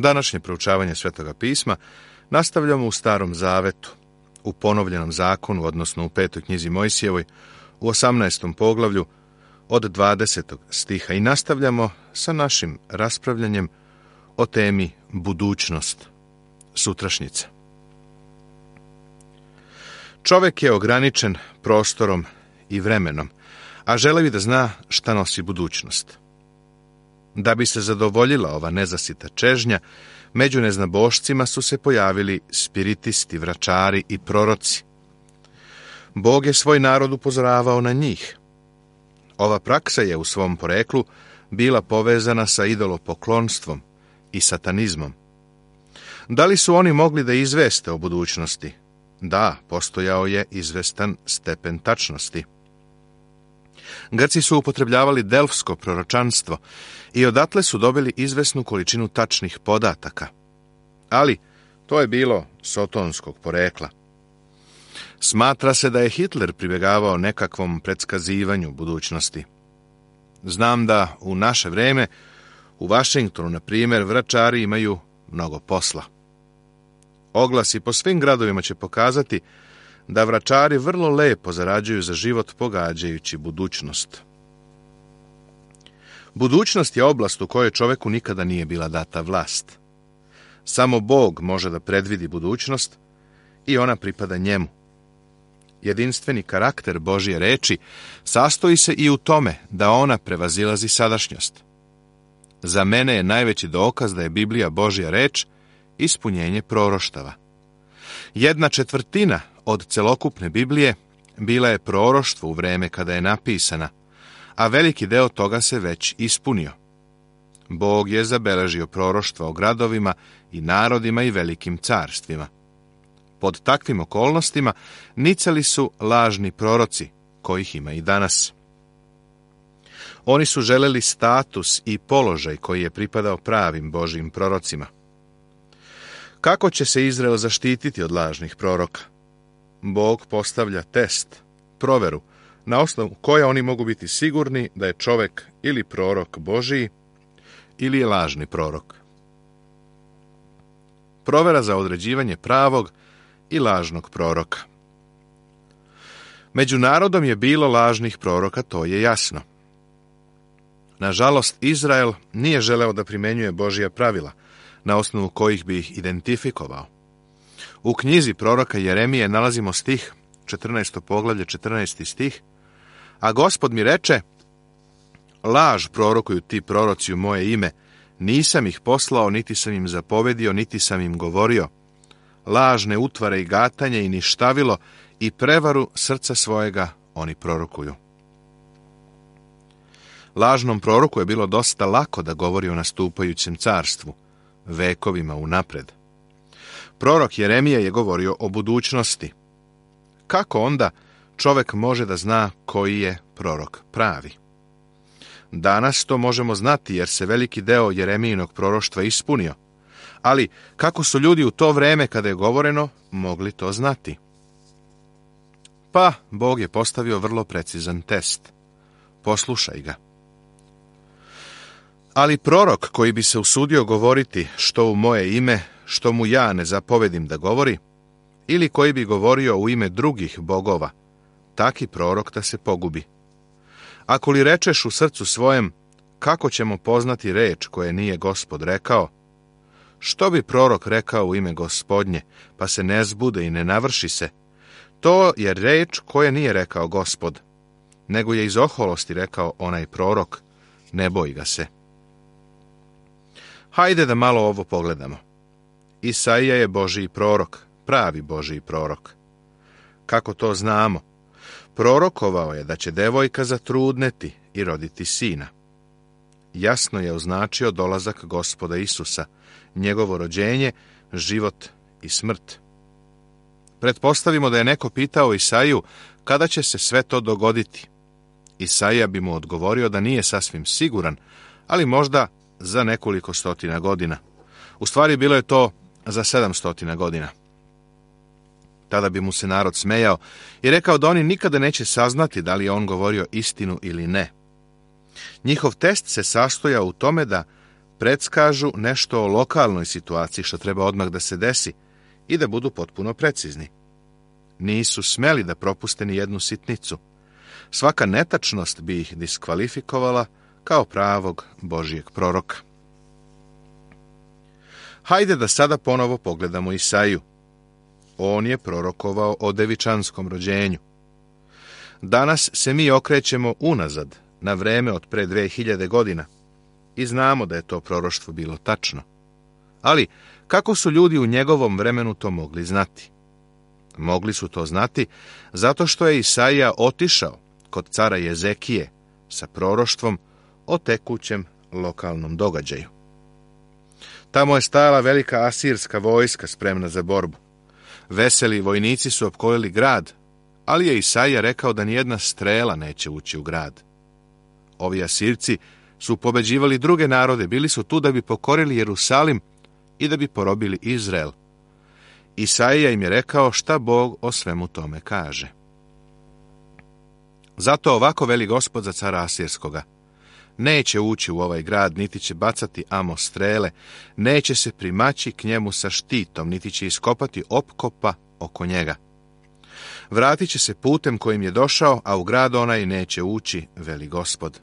Današnje proučavanje Svetoga pisma nastavljamo u Starom Zavetu, u ponovljenom zakonu, odnosno u 5. knjizi Mojsijevoj, u 18. poglavlju od 20. stiha i nastavljamo sa našim raspravljanjem o temi budućnost, sutrašnjica. Čovjek je ograničen prostorom i vremenom, a želi da zna šta nosi budućnost. Da bi se zadovoljila ova nezasita čežnja, među neznabošcima su se pojavili spiritisti, vračari i proroci. Bog je svoj narod upozoravao na njih. Ova praksa je u svom poreklu bila povezana sa idolopoklonstvom i satanizmom. Da li su oni mogli da izveste o budućnosti? Da, postojao je izvestan stepen tačnosti. Grci su upotrebljavali delfsko proročanstvo i odatle su dobili izvesnu količinu tačnih podataka. Ali to je bilo sotonskog porekla. Smatra se da je Hitler pribjegavao nekakvom predskazivanju budućnosti. Znam da u naše vreme u Vašingtonu, na primjer, vračari imaju mnogo posla. Oglasi po svim gradovima će pokazati da vračari vrlo lepo zarađuju za život pogađajući budućnost. Budućnost je oblast u kojoj čoveku nikada nije bila data vlast. Samo Bog može da predvidi budućnost i ona pripada njemu. Jedinstveni karakter Božje reči sastoji se i u tome da ona prevazilazi sadašnjost. Za mene je najveći dokaz da je Biblija Božja reč ispunjenje proroštava. 1/4 od celokupne Biblije bila je proroštvo u vreme kada je napisana, a veliki deo toga se već ispunio. Bog je zabeležio proroštva o gradovima i narodima i velikim carstvima. Pod takvim okolnostima nicali su lažni proroci, kojih ima i danas. Oni su želeli status i položaj koji je pripadao pravim Božjim prorocima. Kako će se Izrael zaštititi od lažnih proroka? Bog postavlja test, proveru, na osnovu koje oni mogu biti sigurni da je čovjek ili prorok Božiji ili je lažni prorok. Provera za određivanje pravog i lažnog proroka. Među narodom je bilo lažnih proroka, to je jasno. Nažalost, Izrael nije želeo da primenjuje Božja pravila, na osnovu kojih bi ih identifikovao. U knjizi proroka Jeremije nalazimo stih, 14. poglavlje, 14. stih, a Gospod mi reče, laž prorokuju ti proroci u moje ime, nisam ih poslao, niti sam im zapovedio, niti sam im govorio. Lažne utvare i gatanje i ništavilo i prevaru srca svojega oni prorokuju. Lažnom proroku je bilo dosta lako da govori o nastupajućem carstvu, vekovima unapred. Prorok Jeremije je govorio o budućnosti. Kako onda čovjek može da zna koji je prorok pravi? Danas to možemo znati jer se veliki deo Jeremijinog proroštva ispunio. Ali kako su ljudi u to vreme kada je govoreno mogli to znati? Pa Bog je postavio vrlo precizan test. Poslušaj ga. Ali prorok koji bi se usudio govoriti što u moje ime, što mu ja ne zapovedim da govori, ili koji bi govorio u ime drugih bogova, taki prorok da se pogubi. Ako li rečeš u srcu svojem, kako ćemo poznati reč koje nije Gospod rekao? Što bi prorok rekao u ime Gospodnje, pa se ne zbude i ne navrši se? To je reč koje nije rekao Gospod, nego je iz oholosti rekao onaj prorok, ne boj ga se. Hajde da malo ovo pogledamo. Isaija je Božji prorok, pravi Božji prorok. Kako to znamo? Prorokovao je da će devojka zatrudneti i roditi sina. Jasno je označio dolazak Gospoda Isusa, njegovo rođenje, život i smrt. Pretpostavimo da je neko pitao Isaiju kada će se sve to dogoditi. Isaija bi mu odgovorio da nije sasvim siguran, ali možda za nekoliko stotina godina. U stvari bilo je to za 700 godina. Tada bi mu se narod smejao i rekao da oni nikada neće saznati da li je on govorio istinu ili ne. Njihov test se sastojao u tome da predskažu nešto o lokalnoj situaciji što treba odmah da se desi i da budu potpuno precizni. Nisu smeli da propuste ni jednu sitnicu. Svaka netačnost bi ih diskvalifikovala kao pravog Božijeg proroka. Hajde da sada ponovo pogledamo Isaiju. On je prorokovao o devičanskom rođenju. Danas se mi okrećemo unazad, na vreme od pre 2000 godina, i znamo da je to proroštvo bilo tačno. Ali, kako su ljudi u njegovom vremenu to mogli znati? Mogli su to znati zato što je Isaija otišao kod cara Jezekije sa proroštvom o tekućem lokalnom događaju. Tamo je stajala velika asirska vojska spremna za borbu. Veseli vojnici su opkolili grad, ali je Isaija rekao da nijedna strela neće ući u grad. Ovi Asirci su pobeđivali druge narode, bili su tu da bi pokorili Jerusalim i da bi porobili Izrael. Isaija im je rekao šta Bog o svemu tome kaže. Zato ovako veli Gospod za cara Asirskoga: neće ući u ovaj grad, niti će bacati amo strele, neće se primaći k njemu sa štitom, niti će iskopati opkopa oko njega. Vratit će se putem kojim je došao, a u grad onaj neće ući, veli Gospod.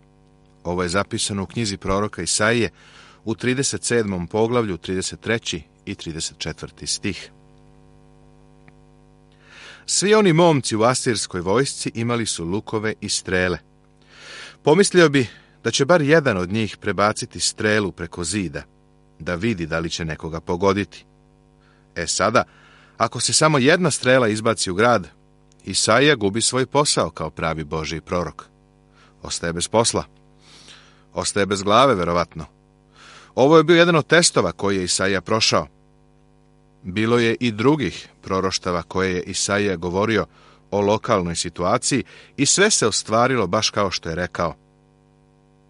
Ovo je zapisano u knjizi proroka Isaije u 37. poglavlju, 33. i 34. stih. Svi oni momci u asirskoj vojsci imali su lukove i strele. Pomislio bi da će bar jedan od njih prebaciti strelu preko zida, da vidi da li će nekoga pogoditi. Sada, ako se samo jedna strela izbaci u grad, Isaija gubi svoj posao kao pravi Božji prorok. Ostaje bez posla. Ostaje bez glave, verovatno. Ovo je bio jedan od testova koji je Isaija prošao. Bilo je i drugih proroštava koje je Isaija govorio o lokalnoj situaciji i sve se ostvarilo baš kao što je rekao.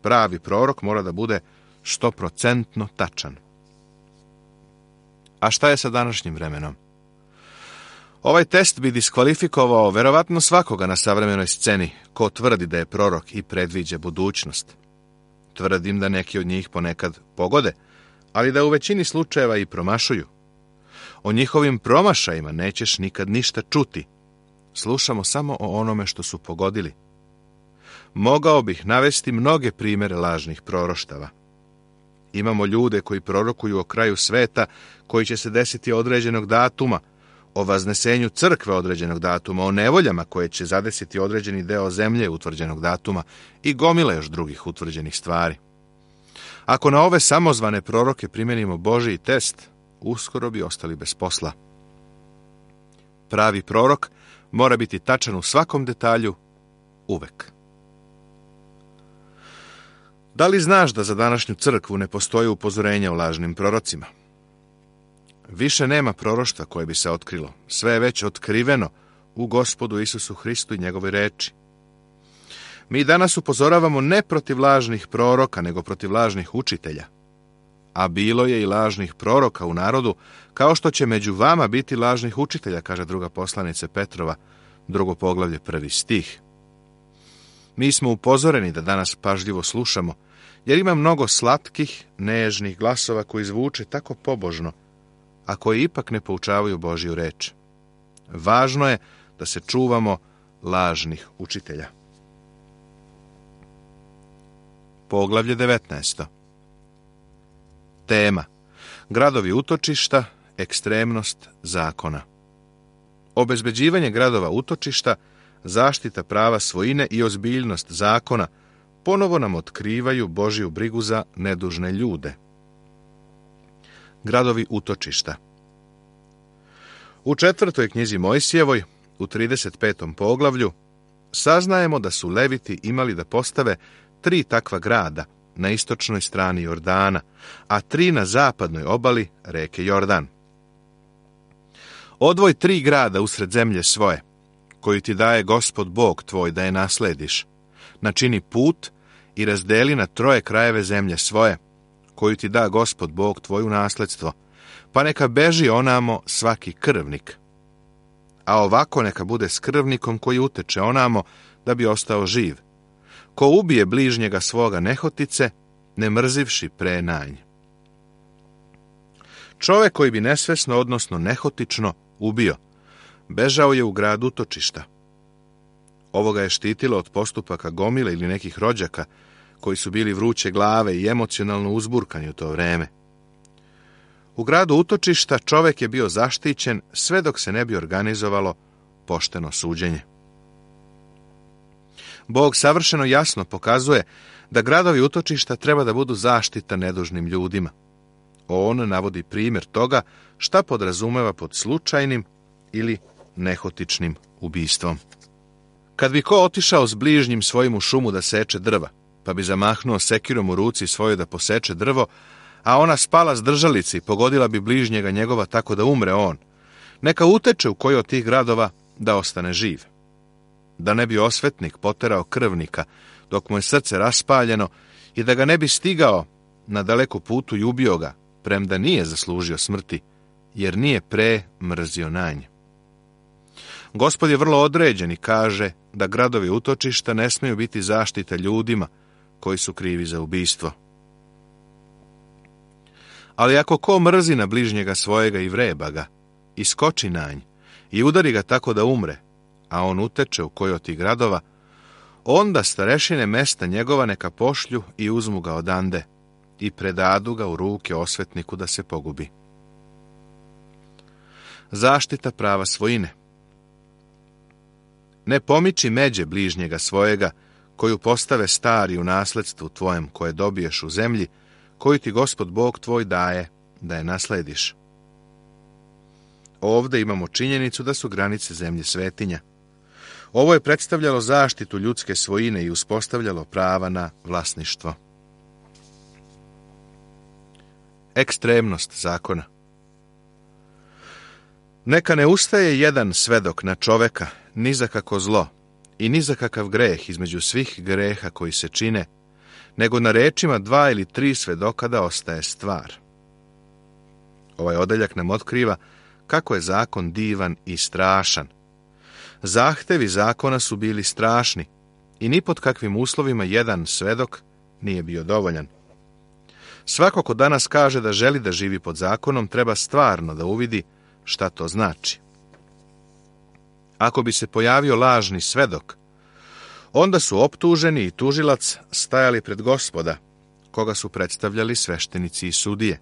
Pravi prorok mora da bude 100% tačan. A šta je sa današnjim vremenom? Ovaj test bi diskvalifikovao verovatno svakoga na savremenoj sceni ko tvrdi da je prorok i predviđa budućnost. Tvrdim da neki od njih ponekad pogode, ali da u većini slučajeva i promašuju. O njihovim promašajima nećeš nikad ništa čuti. Slušamo samo o onome što su pogodili. Mogao bih navesti mnoge primere lažnih proroštava. Imamo ljude koji prorokuju o kraju sveta koji će se desiti određenog datuma, o vaznesenju crkve određenog datuma, o nevoljama koje će zadesiti određeni deo zemlje utvrđenog datuma i gomile još drugih utvrđenih stvari. Ako na ove samozvane proroke primenimo Božji test, uskoro bi ostali bez posla. Pravi prorok mora biti tačan u svakom detalju, uvek. Da li znaš da za današnju crkvu ne postoji upozorenja o lažnim prorocima? Više nema proroštva koje bi se otkrilo. Sve je već otkriveno u Gospodu Isusu Hristu i njegovoj reči. Mi danas upozoravamo ne protiv lažnih proroka, nego protiv lažnih učitelja. A bilo je i lažnih proroka u narodu, kao što će među vama biti lažnih učitelja, kaže druga poslanica Petrova, 2. poglavlje, 1. stih. Mi smo upozoreni da danas pažljivo slušamo, jer ima mnogo slatkih, nežnih glasova koji zvuče tako pobožno, a koji ipak ne poučavaju Božju reč. Važno je da se čuvamo lažnih učitelja. Poglavlje 19. Tema: gradovi utočišta, ekstremnost zakona. Obezbeđivanje gradova utočišta, zaštita prava svojine i ozbiljnost zakona ponovo nam otkrivaju Božju brigu za nedužne ljude. Gradovi utočišta. U 4. knjizi Mojsijevoj, u 35. poglavlju, saznajemo da su Leviti imali da postave 3 takva grada na istočnoj strani Jordana, a 3 na zapadnoj obali reke Jordan. Odvoj 3 grada usred zemlje svoje, koju ti daje Gospod Bog tvoj da je naslediš. Načini put i razdeli na 3 krajeve zemlje svoje, koju ti da Gospod Bog tvoj u nasledstvo, pa neka beži onamo svaki krvnik. A ovako neka bude s krvnikom koji uteče onamo da bi ostao živ. Ko ubije bližnjega svoga nehotice, ne mrzivši pre nanj. Čovek koji bi nesvesno, odnosno nehotično, ubio, bežao je u grad utočišta. Ovo ga je štitilo od postupaka gomile ili nekih rođaka, koji su bili vruće glave i emocionalno uzburkani u to vreme. U gradu utočišta čovek je bio zaštićen sve dok se ne bi organizovalo pošteno suđenje. Bog savršeno jasno pokazuje da gradovi utočišta treba da budu zaštita nedužnim ljudima. On navodi primjer toga šta podrazumeva pod slučajnim ili nehotičnim ubistvom. Kad bi ko otišao s bližnjim svojim u šumu da seče drva, pa bi zamahnuo sekirom u ruci svojoj da poseče drvo, a ona spala s držalici i pogodila bi bližnjega njegova tako da umre on, neka uteče u koji od tih gradova da ostane živ. Da ne bi osvetnik poterao krvnika dok mu je srce raspaljeno i da ga ne bi stigao na daleku putu i ubio ga, premda nije zaslužio smrti, jer nije pre mrzio na nje. Gospod je vrlo određen i kaže da gradovi utočišta ne smeju biti zaštita ljudima koji su krivi za ubistvo. Ali ako ko mrzi na bližnjega svojega i vreba ga, i skoči na nj, i udari ga tako da umre, a on uteče u koji od tih gradova, onda starešine mesta njegova neka pošlju i uzmu ga odande i predadu ga u ruke osvetniku da se pogubi. Zaštita prava svojine. Ne pomiči međe bližnjega svojega, koju postave stari u nasledstvu tvojem koje dobiješ u zemlji, koju ti Gospod Bog tvoj daje da je naslediš. Ovde imamo činjenicu da su granice zemlje svetinja. Ovo je predstavljalo zaštitu ljudske svojine i uspostavljalo prava na vlasništvo. Ekstremnost zakona. Neka ne ustaje jedan svedok na čoveka, ni za kako zlo i ni za kakav greh između svih greha koji se čine, nego na rečima 2 ili 3 svedoka da ostaje stvar. Ovaj odeljak nam otkriva kako je zakon divan i strašan. Zahtevi zakona su bili strašni i ni pod kakvim uslovima jedan svedok nije bio dovoljan. Svako ko danas kaže da želi da živi pod zakonom treba stvarno da uvidi šta to znači. Ako bi se pojavio lažni svedok, onda su optuženi i tužilac stajali pred Gospoda, koga su predstavljali sveštenici i sudije.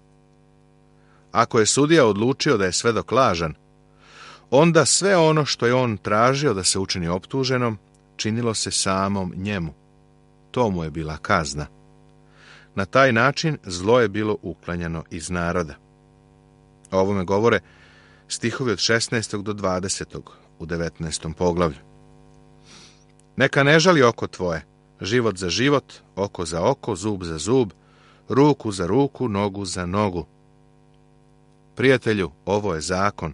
Ako je sudija odlučio da je svedok lažan, onda sve ono što je on tražio da se učini optuženom, činilo se samom njemu. To mu je bila kazna. Na taj način zlo je bilo uklanjano iz naroda. O ovome govore stihovi od 16. do 20. u 19. poglavlju. Neka ne žali oko tvoje, život za život, oko za oko, zub za zub, ruku za ruku, nogu za nogu. Prijatelju, ovo je zakon.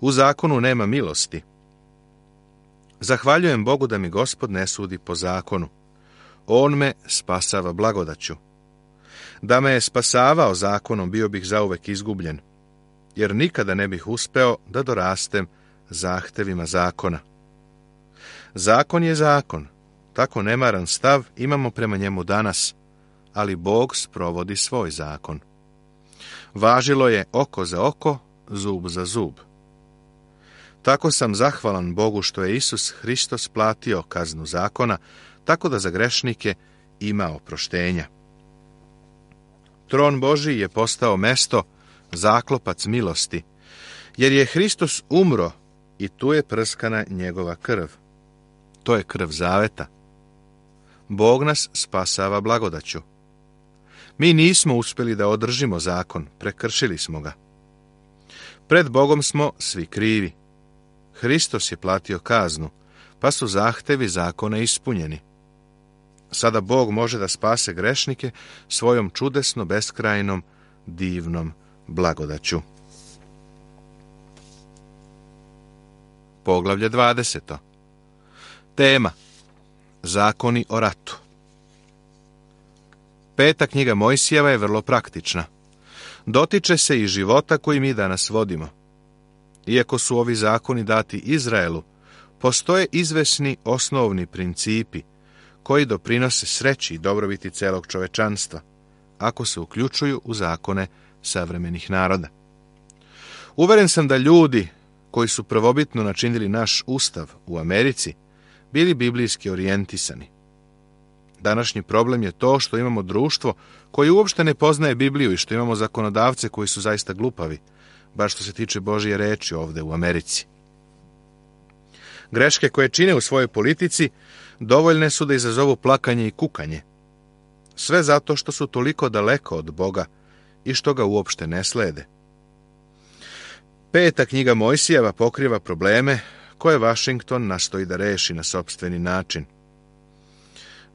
U zakonu nema milosti. Zahvaljujem Bogu da mi Gospod ne sudi po zakonu. On me spasava blagodaću. Da me je spasavao zakonom, bio bih zauvek izgubljen, jer nikada ne bih uspeo da dorastem zahtevima zakona. Zakon je zakon. Tako nemaran stav imamo prema njemu danas, ali Bog sprovodi svoj zakon. Važilo je oko za oko, zub za zub. Tako sam zahvalan Bogu što je Isus Hristos platio kaznu zakona, tako da za grešnike ima oproštenja. Tron Božji je postao mesto, zaklopac milosti, jer je Hristos umro i tu je prskana njegova krv. To je krv zaveta. Bog nas spasava blagodaću. Mi nismo uspjeli da održimo zakon, prekršili smo ga. Pred Bogom smo svi krivi. Hristos je platio kaznu, pa su zahtevi zakona ispunjeni. Sada Bog može da spase grešnike svojom čudesno beskrajnom, divnom blagodaću. Poglavlje 20. Tema: Zakoni o ratu. 5. knjiga Mojsijeva je vrlo praktična. Dotiče se i života koji mi danas vodimo. Iako su ovi zakoni dati Izraelu, postoje izvesni osnovni principi koji doprinose sreći i dobrobiti celog čovečanstva, ako se uključuju u zakone savremenih naroda. Uveren sam da ljudi koji su prvobitno načinili naš ustav u Americi bili biblijski orijentisani. Današnji problem je to što imamo društvo koje uopšte ne poznaje Bibliju i što imamo zakonodavce koji su zaista glupavi, baš što se tiče Božje reči ovde u Americi. Greške koje čine u svojoj politici dovoljne su da izazovu plakanje i kukanje. Sve zato što su toliko daleko od Boga i što ga uopšte ne slede. 5. knjiga Mojsijeva pokriva probleme koje Washington nastoji da reši na sopstveni način.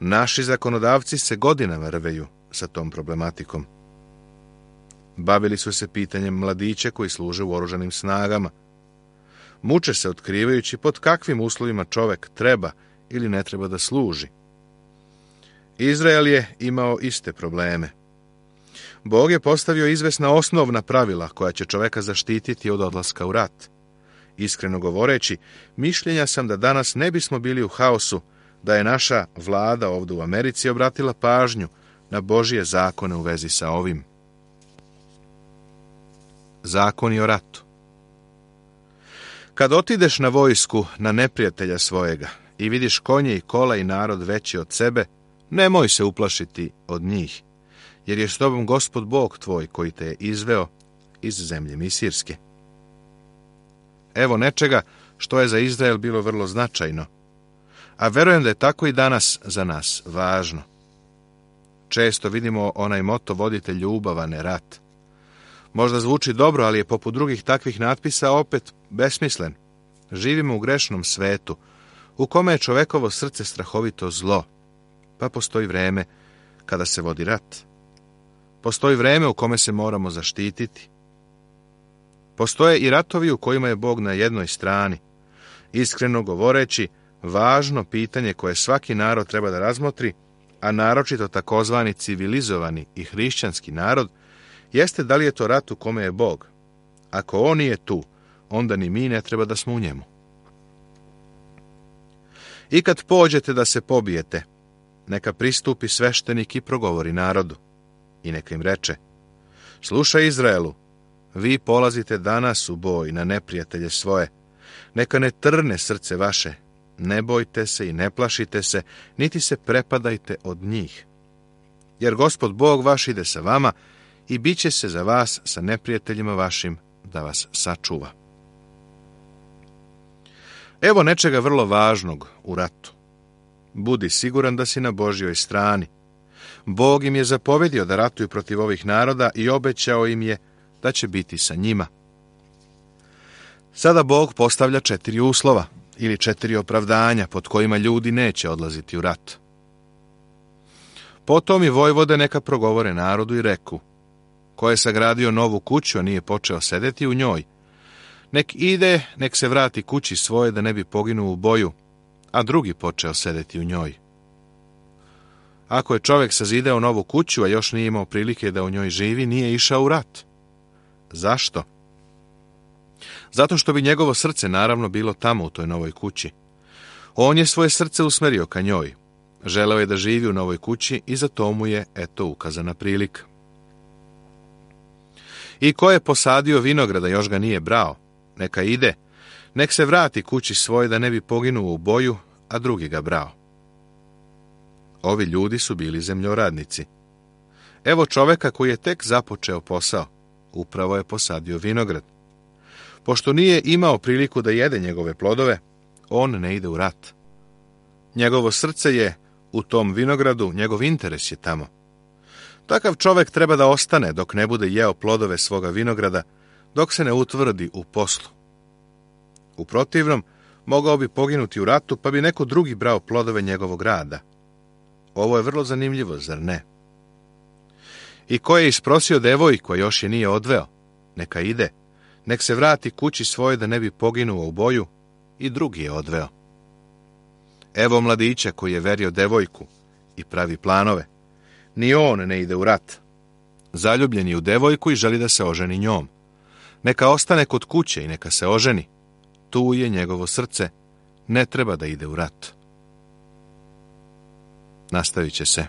Naši zakonodavci se godinama rveju sa tom problematikom. Bavili su se pitanjem mladića koji služe u oružanim snagama. Muče se otkrivajući pod kakvim uslovima čovek treba ili ne treba da služi. Izrael je imao iste probleme. Bog je postavio izvesna osnovna pravila koja će čoveka zaštititi od odlaska u rat. Iskreno govoreći, mišljenja sam da danas ne bismo bili u haosu da je naša vlada ovdje u Americi obratila pažnju na Božje zakone u vezi sa ovim. Zakoni o ratu. Kad otideš na vojsku na neprijatelja svojega i vidiš konje i kola i narod veći od sebe, nemoj se uplašiti od njih, jer je s tobom Gospod Bog tvoj koji te je izveo iz zemlje Misirske. Evo nečega što je za Izrael bilo vrlo značajno, a verujem da je tako i danas za nas važno. Često vidimo onaj moto vodite ljubav, a ne rat. Možda zvuči dobro, ali je poput drugih takvih natpisa opet besmislen. Živimo u grešnom svetu, u kome je čovekovo srce strahovito zlo, pa postoji vreme kada se vodi rat. Postoji vreme u kome se moramo zaštititi. Postoje i ratovi u kojima je Bog na jednoj strani. Iskreno govoreći, važno pitanje koje svaki narod treba da razmotri, a naročito takozvani civilizovani i hrišćanski narod, jeste da li je to rat u kome je Bog. Ako on nije tu, onda ni mi ne treba da smo u njemu. I kad pođete da se pobijete, neka pristupi sveštenik i progovori narodu. I neka im reče, slušaj Izraelu, vi polazite danas u boj na neprijatelje svoje, neka ne trne srce vaše, ne bojte se i ne plašite se, niti se prepadajte od njih. Jer Gospod Bog vaš ide sa vama i bit će se za vas sa neprijateljima vašim da vas sačuva. Evo nečega vrlo važnog u ratu. Budi siguran da si na Božjoj strani. Bog im je zapovedio da ratuju protiv ovih naroda i obećao im je da će biti sa njima. Sada Bog postavlja 4 uslova ili 4 opravdanja pod kojima ljudi neće odlaziti u rat. Potom i vojvode neka progovore narodu i reku, ko je sagradio novu kuću, a nije počeo sedeti u njoj, nek ide, nek se vrati kući svoje da ne bi poginuo u boju, a drugi počeo sedeti u njoj. Ako je čovjek sazidao novu kuću, a još nije imao prilike da u njoj živi, nije išao u rat. Zašto? Zato što bi njegovo srce naravno bilo tamo u toj novoj kući. On je svoje srce usmerio ka njoj. Želeo je da živi u novoj kući i za to mu je, eto, ukazana prilika. I ko je posadio vinograda, još ga nije brao, neka ide, nek se vrati kući svoje da ne bi poginuo u boju, a drugi ga brao. Ovi ljudi su bili zemljoradnici. Evo čoveka koji je tek započeo posao, upravo je posadio vinograd. Pošto nije imao priliku da jede njegove plodove, on ne ide u rat. Njegovo srce je u tom vinogradu, njegov interes je tamo. Takav čovek treba da ostane dok ne bude jeo plodove svoga vinograda, dok se ne utvrdi u poslu. U protivnom, mogao bi poginuti u ratu, pa bi neko drugi brao plodove njegovog rada. Ovo je vrlo zanimljivo, zar ne? I ko je isprosio devojku, a još je nije odveo, neka ide, nek se vrati kući svoje da ne bi poginuo u boju, i drugi je odveo. Evo mladića koji je verio devojku i pravi planove. Ni on ne ide u rat. Zaljubljen je u devojku i želi da se oženi njom. Neka ostane kod kuće i neka se oženi. Tu je njegovo srce, ne treba da ide u rat. Nastavit će se.